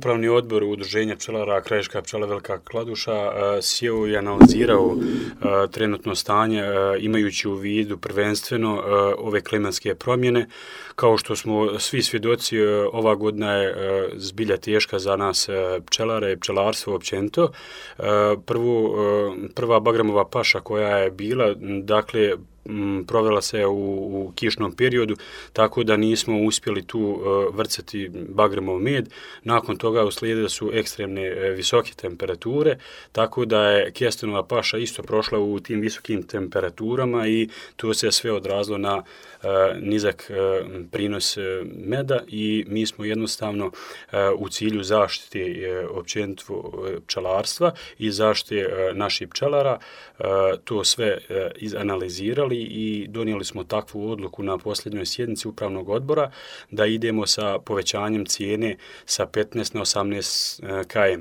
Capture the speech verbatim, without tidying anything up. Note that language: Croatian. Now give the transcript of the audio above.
upravni odbor Udruženja pčelara Krajiška pčela Velika Kladuša sjeo i analizirao trenutno stanje imajući u vidu prvenstveno ove klimatske promjene. Kao što smo svi svjedoci, ova godina je zbilja teška za nas pčelare i pčelarstvo općenito. Prvu, prva bagramova paša koja je bila, dakle, provela se u, u kišnom periodu, tako da nismo uspjeli tu uh, vrcati bagremov med. Nakon toga uslijedile su ekstremne uh, visoke temperature, tako da je kestenova paša isto prošla u tim visokim temperaturama i to se sve odrazilo na uh, nizak uh, prinos uh, meda i mi smo jednostavno uh, u cilju zaštite uh, općenito uh, pčelarstva i zaštite uh, naših pčelara uh, to sve uh, izanalizirali i donijeli smo takvu odluku na posljednjoj sjednici upravnog odbora da idemo sa povećanjem cijene sa petnaest na osamnaest km.